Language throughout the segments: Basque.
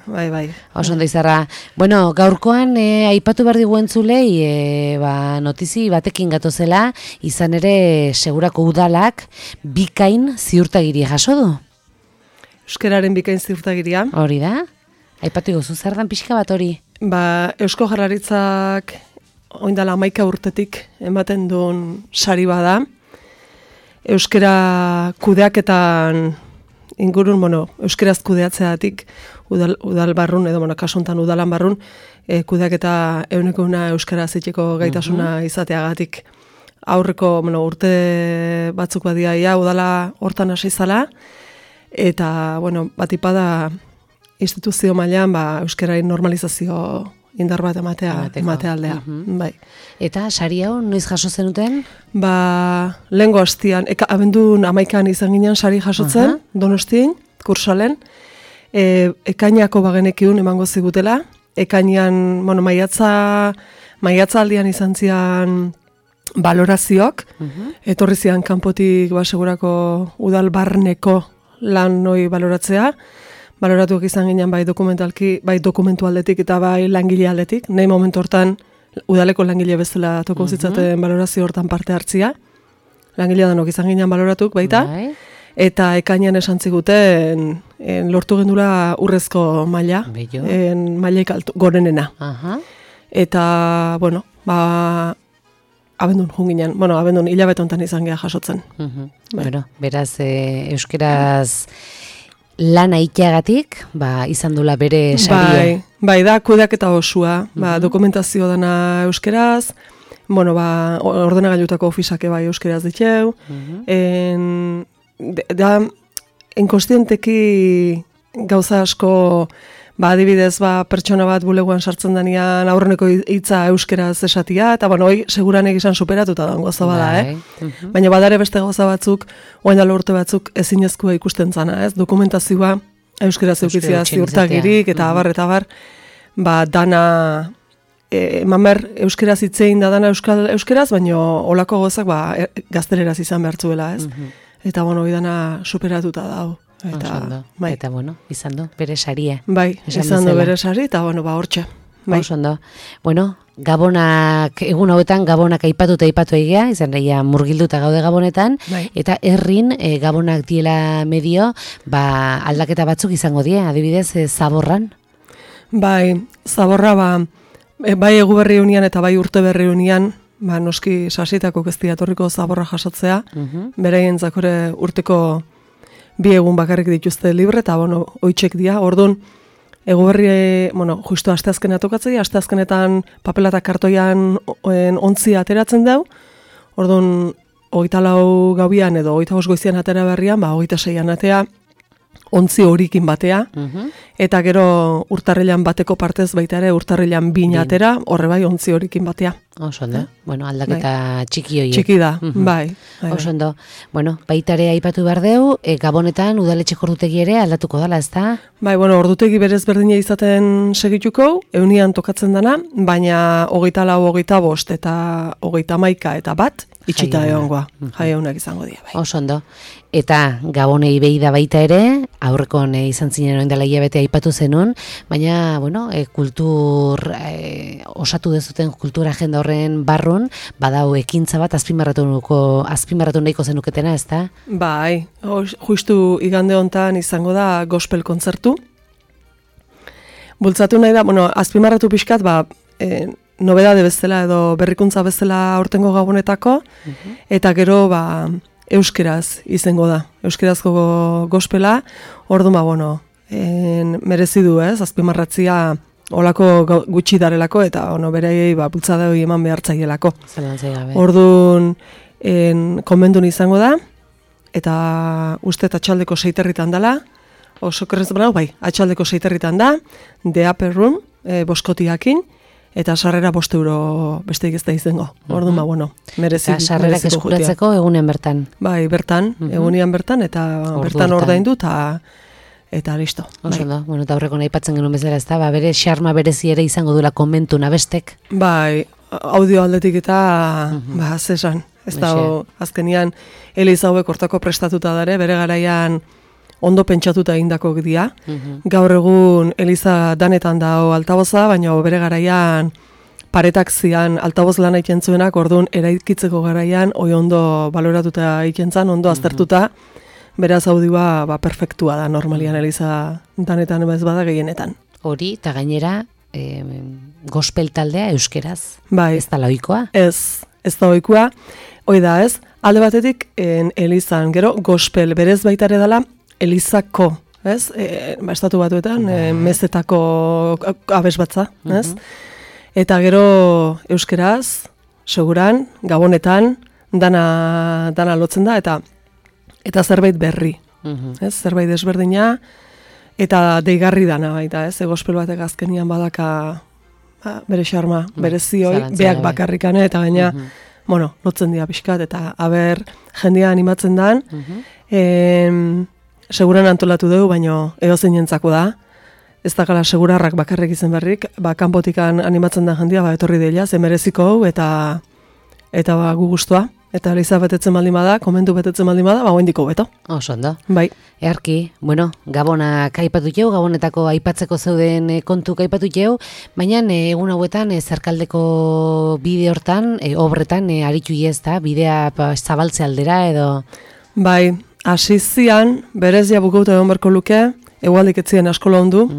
Bai. Oso ondo izarra. Bueno, gaurkoan aipatu behar digu entzulei notizi batekin gatozela, izan ere segurako udalak bikain ziurtagiria jaso du. Euskararen bikain ziurtagiria. Hori da? Aipatu gozu, zer dan pixka bat hori? Eusko Jaurlaritzak oindala 11 urtetik ematen duen sari bada. Euskara kudeaketan ingurun, euskaraz kudeatzeatik udal barrun, edo, kasuntan udalan barrun, kudeaketa 100% euskaraz itxeko gaitasuna izateagatik. Aurreko, urte batzuk badia udala hortan hasi zala, eta, batipada instituzio mailan, euskararen normalizazio indar bat ematea aldea. Bai. Eta sari hau noiz jaso zenuten? Lehengo hastian, abendun 11an izan ginen sari jasotzen, Donostin, Kursalen, ekainako bagenekiun emango zigutela, ekainean, maiatza aldian izan zian balorazioak, etorri zian kanpotik segurako udal barneko lan noi baloratzea, baloratuak izan ginen bai dokumentu aldetik eta bai langile aldetik, nahi momentu hortan udaleko langile bezala toko zitzaten balorazio hortan parte hartzia, langile danok izan ginen baloratuk baita, eta ekainean esan ziguten lortu gendula urrezko maila, mailaik gorenena. Eta, abendun junginen, abendun hilabete hontan izan geha jasotzen. Beraz, euskeraz lana iteagatik, izan dula bere saria. Bai, da kudeaketa osua, dokumentazio dana euskeraz, ordenagailutako ofisake bai euskeraz diteu, da, enkostienteki gauza asko, adibidez, pertsona bat buleguan sartzen danean aurreneko hitza euskeraz esatia, eta hoi seguran egizan superatuta dago gauza bada, Baina badare beste gauza batzuk, oaindalo urte batzuk ezinezkoa ikusten zana, dokumentazioa euskeraz eukitzia ziurtagirik, eta abar, dana, mamer euskeraz hitzein da dana euskeraz, baina olako gauzak gazteleraz izan behartzuela, Eta, hori dana superatuta dago. Eta, izan du, bere saria. Bai, izan du bere sari, eta, hortxe. Osondo. Gabonak, egun hauetan, gabonak aipatu egea, izan reia murgilduta gaude gabonetan, eta herrin gabonak diela medio, aldaketa batzuk izango die, adibidez, zaborran? Bai, zaborra, bai egu berri unian eta bai urte berri unian, noski sasitako kestia torriko zaborra jasotzea, beraien zakore urteko 2 egun bakarrik dituzte libre, eta, oitxek dia, orduan, egu berri, justu asteazkena tokatzea, asteazkenetan papela eta kartoian ontzia ateratzen dau, orduan, 24 gauian edo 25 goizian atera berrian, 26an atea, ontzi horikin batea, eta gero urtarrilan bateko partez baita ere urtarrilan 2 atera, horre bai ontzi horikin batea. Osondo, aldaketa txiki horiek. Txiki da, bai. Osondo, baita ere aipatu behar deu, gabonetan udaletxeko ordutegi ere aldatuko dala, ez da? Bai, ordutegi berez berdina izaten segituko, eunian tokatzen dana, baina 24, 25 eta 31 eta bat, itxita egongoa, jaiaunak izango dira. Osondo, eta gabonei behi da baita ere, aurrekon izan zinen oindala hilabete aipatu zenun, baina, kultur, osatu dezuten kultura agenda horren barrun, badau ekintza bat azpimarratu nahiko zenuketena, ez da? Bai, justu igande hontan izango da gospel kontzertu. Bultzatu nahi da, azpimarratu pixkat, nobedade bezala edo berrikuntza bezala aurtengo gabonetako, eta gero euskeraz izango da. Euskerazko gospela, orduan, merezi du, azpimarratzia olako gutxi darelako, eta beraiei bultzada hori eman behartzaielako. Orduan, konbendun izango da, eta uste atxaldeko 6 dela, oso kerrez atxaldeko 6 da, The Upper Room, boskotiakin, eta sarrera 5 euro besteik ez da izango. Orduan, merezi. Eta sarrerak eskuratzeko egunean bertan? Bai, bertan, egunean bertan, eta bertan ordaindu, eta listo. Oso eta aurreko aipatzen genuen bezala, ez da, bere xarma berezi ere izango duela konbentu nabestek? Bai, audio aldetik eta, zesan. Ez da, azkenian, Eliza hauek hortako prestatuta dare, bere garaian ondo pentsatuta egindako dira. Gaur egun Eliza danetan dago altaboza, baina bere garaian paretak zian altaboz lan egiten zuenak, orduan eraikitzeko garaian oi ondo baloratuta egiten zan, ondo aztertuta, beraz audioa perfektua da normalian Eliza danetan ez bada gehienetan. Hori, eta gainera gospel taldea euskeraz, bai. Ez da ohikoa? Ez da ohikoa, hoi da ez, alde batetik Elizan, gero gospel berez baitare dela Elizako, ez? Estatu Batuetan, mezetako abesbatza, ez? Eta gero euskeraz, seguran, gabonetan, dana lotzen da, eta zerbait berri, ez? Zerbait desberdina, eta deigarri dana baita, ez? Gospel batek azkenian badaka bere xarma, bere zioi, beak bakarrikane, eta gaina, lotzen dira pixkat, eta aber jendia animatzen dan, seguran antolatu dugu, baino edozein entzako da, ez dakala segurarrak bakarrik izen berrik, kanpotikan animatzen da jendia, etorri deila, ze mereziko hau, eta gu guztua. Eta Eliza betetzen baldin bada, komentu betetzen baldin bada, hoendiko beto. Oso ondo. Bai. Earki, Gabonak aipatu jau, Gabonetako aipatzeko zeuden kontuk aipatu jau, baina egun hauetan zerkaldeko bide hortan, obretan aritu ez da, bidea zabaltze aldera edo... Bai, asizian, berez jabukauta egon berko luke, egualdik etzien askola ondu,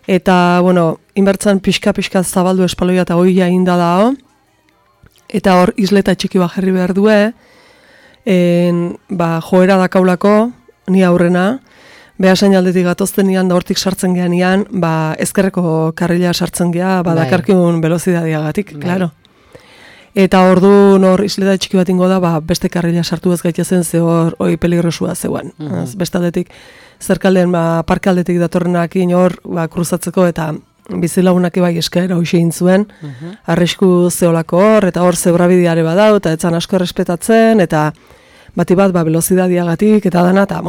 eta, inbertzan pixka zabaldu espaloia eta oia inda dao, eta hor isleta txiki bat jarri behar due, joera dakaulako, ni aurrena, behasain aldetik gatozten nian, da hortik sartzen gean nian, ezkerreko karrila sartzen gea, dakarkiun velozidadiagatik, klaro. Eta ordu hor isleta txiki bat ingo da, beste karrila sartu ez gaitezen, ze hor peligrosua zeuen. Beste aldetik, zerkaldean parkaldetik datorrenakin hor kruzatzeko eta bizilagunak bai eskaera hoxe egin zuen, arrisku zeolako hor, eta hor zebrabideare badau, eta etzan asko errespetatzen, eta bati bat velozidadiagatik, eta dana, eta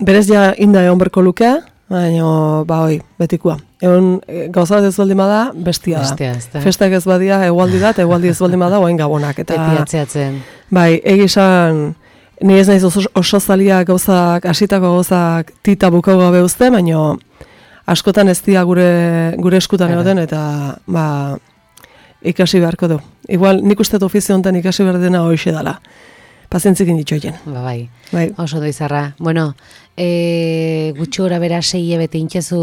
berez ja inda egon berko luke, baina betikua. Egon gauza bat ez baldin bada, bestia da. Festak ez badia, egualdi da, eta egualdi ez baldin bada, oain Gabonak. Beti atzeatzen. Bai, egizan, ni ez naiz oso zalia gauzak, asitako gauzak tita bukau gabe uste, baina askotan ez dira gure eskutan egoten, eta ikasi beharko du. Igual, nik uste ofizio honetan ikasi behar dena hoxe dela. Pazientzikin ditxoien. Bai. Oso doizarra. Gutxi gora bera 6 hilabete intxezu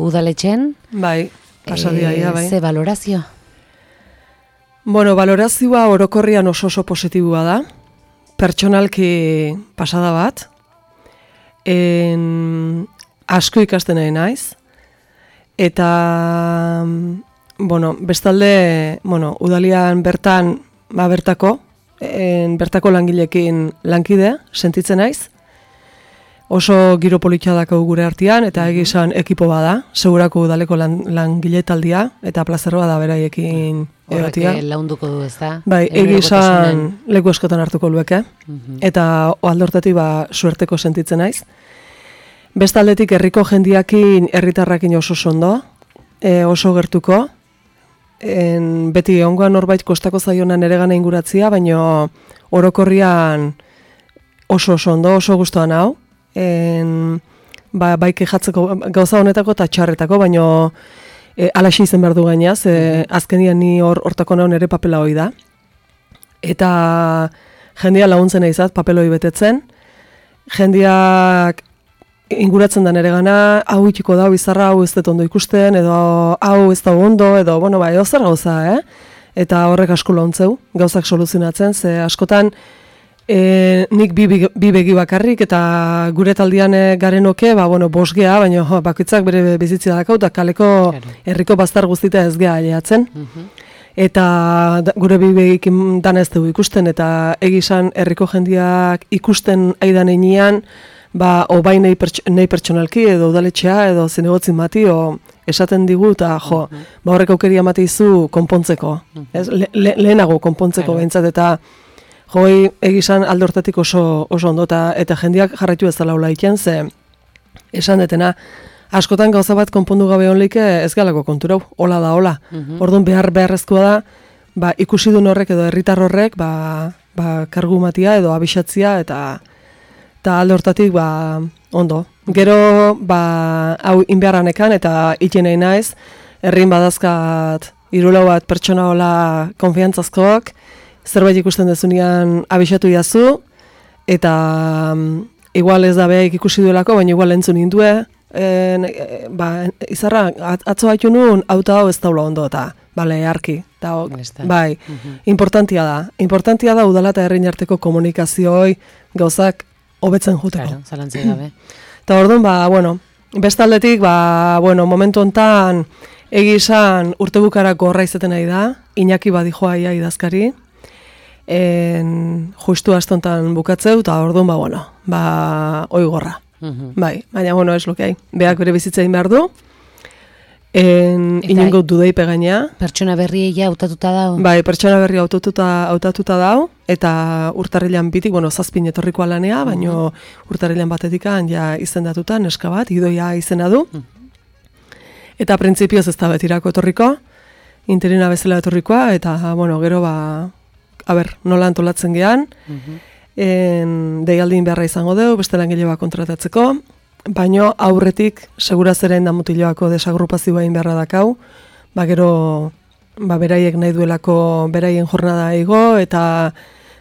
udaletxen. Bai, pasadia, bai. Ze valorazio? Valorazioa orokorrian oso positibua da. Pertsonalki pasada bat. Asko ikasten nahi naiz. Eta, bestalde, udalian bertan, bertako langilekin lankide, sentitzen naiz. Oso giro politxa dako gure artean, eta egizan ekipo bada, segurako udaleko langile taldia, eta plazerroa da beraiekin egotia. Horrek launduko du, ez da? Bai, egizan leku eskotan hartuko lueke, eta aldortatik suerteko sentitzen naiz. Bestaldetik herriko jendiakin, herritarrakin oso sondo, oso gertuko, beti ongoan norbait kostako zaionan ere gana inguratzia, baina orokorrian oso ondo, oso gustuan hau, bai kejatzeko gauza honetako eta txarretako, baina alaxi izen behar du gainaz, azkenian ni hortako naun ere papela hoi da, eta jendia laguntzen egizat papeloi betetzen, jendiak inguratzen da nere gana, hau itxiko da, bizarra, hau ez dut ondo ikusten, edo hau ez da ondo, edo, edo zer gauza, Eta horrek asko launtzeu, gauzak soluzionatzen, ze askotan nik bi begi bakarrik, eta gure taldian garenoke, bost gea, baina bakoitzak bere bizitzia dakau, eta kaleko herriko baztar guztita ez gea aileatzen. Eta gure bi begikin dana ez dugu ikusten, eta egizan herriko jendiak ikusten aidan einean, bai nahi pertsonalki, edo udaletxea, edo zinegotzin mati, esaten digu, eta horrek aukeria mateizu konpontzeko. Lehenago konpontzeko behintzat, eta egizan alde hortatik oso ondo, eta jendiak jarraitu ez dela hola iken, ze esan detena, askotan gauza bat konpondu gabe honlik ez galako konturau, hola da, hola. Orduan beharrezkoa da, ikusi duen horrek edo herritar horrek, kargu matia edo abixatzia, Eta alde hortatik, ba, ondo. Gero, ba, hau inbeharranekan eta iten nahi naiz, herrin badazkat 3 bat pertsona hola konfiantzazkoak, zerbait ikusten dezunean abisatu jazu, eta igual ez da behaik ikusi duelako, baina igual entzun indue, ba, izarra, atzo haitu nuen, auto hau ez daula ondo, eta, bale, arki, eta, bai, importantia da udala eta herrin arteko komunikaziooi gauzak hobetzen juteko. Claro, zalantzai gabe. Eta orduan, ba, bueno, bestaldetik, ba, bueno, momentu hontan egizan urtebukarako horra izeten nahi da, Iñaki badijoa ia idazkari, justu astontan bukatzeu, eta orduan, ba, bueno, ba, oigorra. Bai, baina, bueno, ez lokei. Beak bere bizitzein behar du, inongo dudeipe gaina. Pertsona berri ja hautatuta dau? Bai, pertsona berri hautatuta dau, eta urtarrilan bitik, bueno, 7 etorrikoa lanea, baina urtarrilan batetikan ja izendatuta, neska bat, Idoia izena du. Eta printzipioz ez da betirako etorriko, interina bezala etorrikoa, eta, bueno, gero, ba, nola antolatzen gean, deialdin beharra izango deu, beste langile bat kontratatzeko, baino aurretik segurazeren da mutiloako desagrupazioa beharra dakau, ba gero ba beraiek nahi duelako beraien jornada igo eta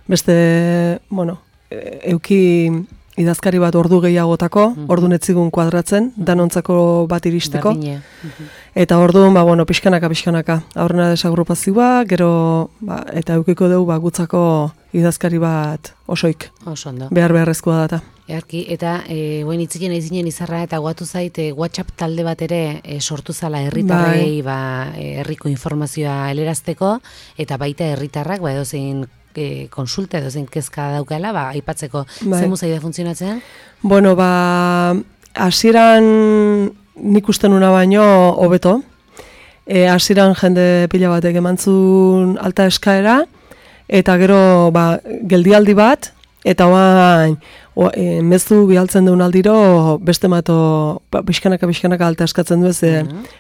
beste, bueno, euki idazkari bat ordu gehiagotako, ordun etzigun kuadratzen, danontzako bat iristeko. Eta orduan, ba, bueno, pixkanaka, aurrena desagrupazioa, gero, ba, eta eukiko dugu, ba, gutzako idazkari bat osoik. Osondo. Beharrezkoa data. Earki, eta guen itziken aizinen izarra, eta guatu zait, WhatsApp talde bat ere sortu zala herritarrei, ba, herriko informazioa helerazteko, eta baita herritarrak, ba, edozein konsulta edozein kezka daukala, ba, aipatzeko zemu zaida funtzionatzen? Bueno, ba, hasieran nik usten una baino hobeto. Hasieran jende pila batek emantzun alta eskaera, eta gero ba, geldialdi bat, eta oain mezu bialtzen duen aldiro beste mato pixkanaka alta eskatzen du ez,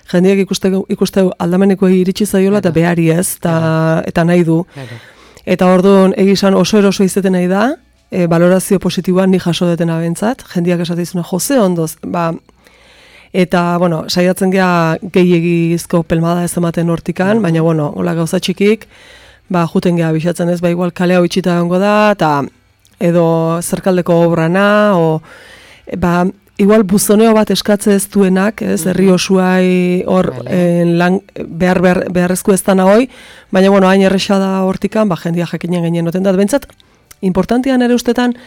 jendeak ikusteu aldameneko iritsi zaiola eta behari ez, eta nahi du. Eta orduan egizan oso eroso izeten nahi da, valorazio positiboan ni jaso detena bentzat, jendeak esateizuna jose ondoz, ba, eta, bueno, saiatzen gea gehiagizko pelmada ez ematen hortikan, baina, bueno, hola gauza txikik, ba, juten gea bisatzen ez, ba, igual kalea itxita gongo da, eta edo zerkaldeko obrana, o, ba, igual buzoneo bat eskatze ez duenak, ez, herri osuai hor beharrezko ez dana hoi, baina, bueno, hain erresa da hortikan, ba, jendia jakinen gainen noten da, bentsat, importantian ere ustetan,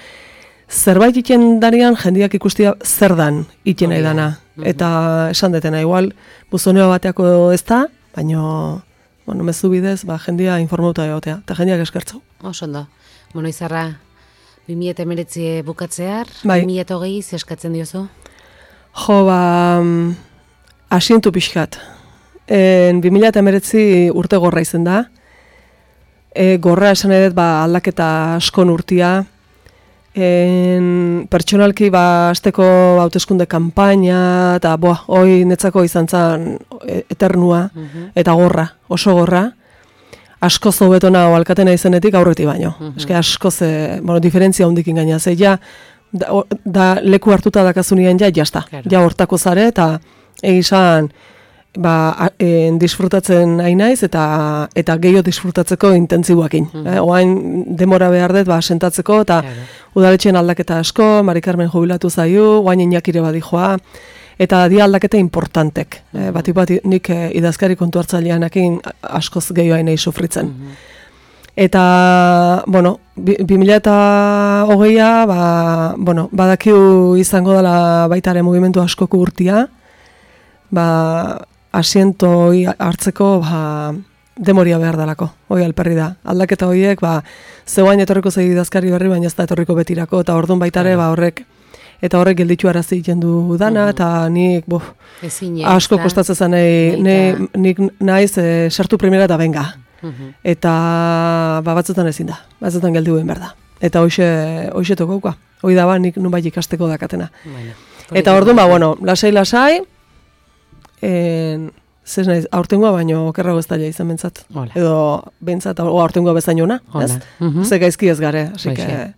zerbait iten darian jendiak ikustia zer dan iten nahi dana. Eta esan detena, igual, buzoneo bateako ez da, baina, bueno, mezu bidez, ba, jendia informauta egotea, eta jendiak eskertzau. Osondo. Bueno, Izarra, 2019 bukatzear, bai. 2020 zeskatzen diozu? Jo, ba, asientu pixkat. 2019 urte gorra izen da. Gorra esan edet, ba, aldaketa askon urtia. Pertsonalki, ba, azteko hauteskunde kanpaina, eta, hoi netzako izan zen eternua, eta gorra, oso gorra. Askoz hobetona alkatena izenetik aurreti baino. Eske askoz, bueno, diferentzia hundikin gaina, ze ja, da leku hartuta dakazunian ja, jazta. Ja hortako zare, eta egizan, ba, disfrutatzen nahi naiz, eta gehiago disfrutatzeko intentzibuakin. Oain demora behar dut, ba, sentatzeko, eta udaletxeen aldaketa asko, Mari Carmen jubilatu zaiu, oain Iñakire badijoa, eta dia aldaketa importantek. Bat nik idazkari kontu hartzaileanakin askoz gehiago nahi sufritzen. Eta, bueno, 2020a, ba, bueno, badakiu izango dela baitare mugimendu askoko urtia, ba, asiento hartzeko, ba, demoria behar dalako, hoi alperri da. Aldaketa horiek, ba, zeuain etorriko zei idazkari berri, baina ez da etorriko betirako, eta orduan baitare, ba, horrek gelditu arazi egiten du dana, eta nik, asko kostatzen zen, nik naiz sartu primera eta benga. Eta, ba, batzutan ezin da, batzutan geldi guen behar da. Eta hoxe tokauka, hoi da, ba, nik nunbait ikasteko dakatena. Eta orduan, ba, bueno, lasai, zez naiz, aurtengoa baino okerrago ez daia izan bentsat. Edo bentsat, aurtengoa bezain ona, ez? Ze gaizki ez gare, así que...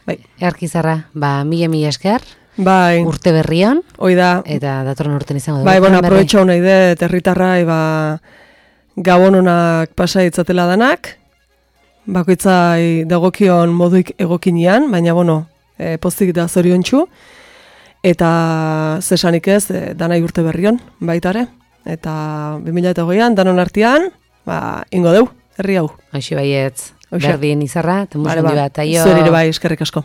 Bai. Erkizarra, mila esker, Bai. urte berrion, Hoi da. eta datorren urten izango dugu. Bai, bueno, aprobetxau nahi dut, herritarrai, gabon honak pasa itzatela danak, bakoitzai dagokion moduik egokinean, baina, bueno, pozik da zoriontsu, eta zesanik ez, danai urte berrion, baitare, eta 2008an, danon artean, ingo deu, herri hau. Aixi baietz, berdin izarra, eta musundi bat, aio. Zuerire bai, eskerrik asko.